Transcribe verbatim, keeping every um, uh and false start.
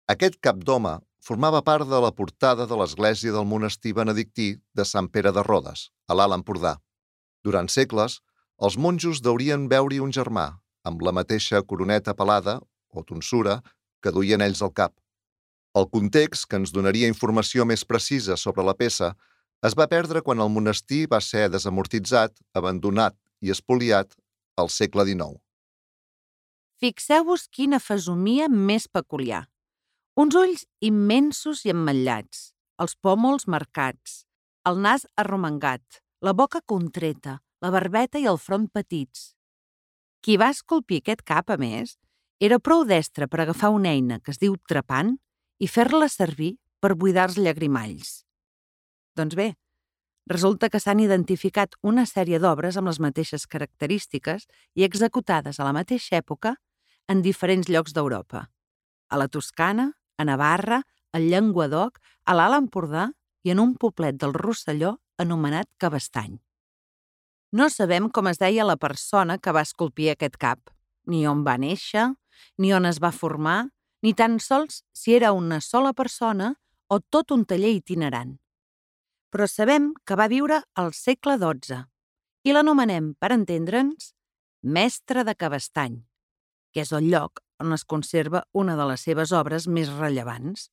Aquest cap d'home formava part de la portada de l'església del monestir benedictí de Sant Pere de Rodes, a l'Alt Empordà. Durant segles, els monjos deurien veure-hi un germà, amb la mateixa coroneta pelada, o tonsura, que duien ells al cap. El context, que ens donaria informació més precisa sobre la peça, es va perdre quan el monestir va ser desamortitzat, abandonat i espoliat al segle dinou. Fixeu-vos quina fesomia més peculiar. Uns ulls immensos i emmotllats, els pòmuls marcats, el nas arromangat, la boca contreta, la barbeta i el front petits. Qui va esculpir aquest cap, a més, era prou destre per agafar una eina que es diu trepant i fer-la servir per buidar els llagrimalls. Doncs bé, resulta que s'han identificat una sèrie d'obres amb les mateixes característiques i executades a la mateixa època en diferents llocs d'Europa. A la Toscana, a Navarra, al Llenguadoc, a l'Alt Empordà i en un poblet del Rosselló anomenat Cabestany. No sabem com es deia la persona que va esculpir aquest cap, ni on va néixer, ni on es va formar, ni tan sols si era una sola persona o tot un taller itinerant. Però sabem que va viure al segle dotze i l'anomenem, per entendre'ns, Mestre de Cabestany, que és el lloc on es conserva una de les seves obres més rellevants.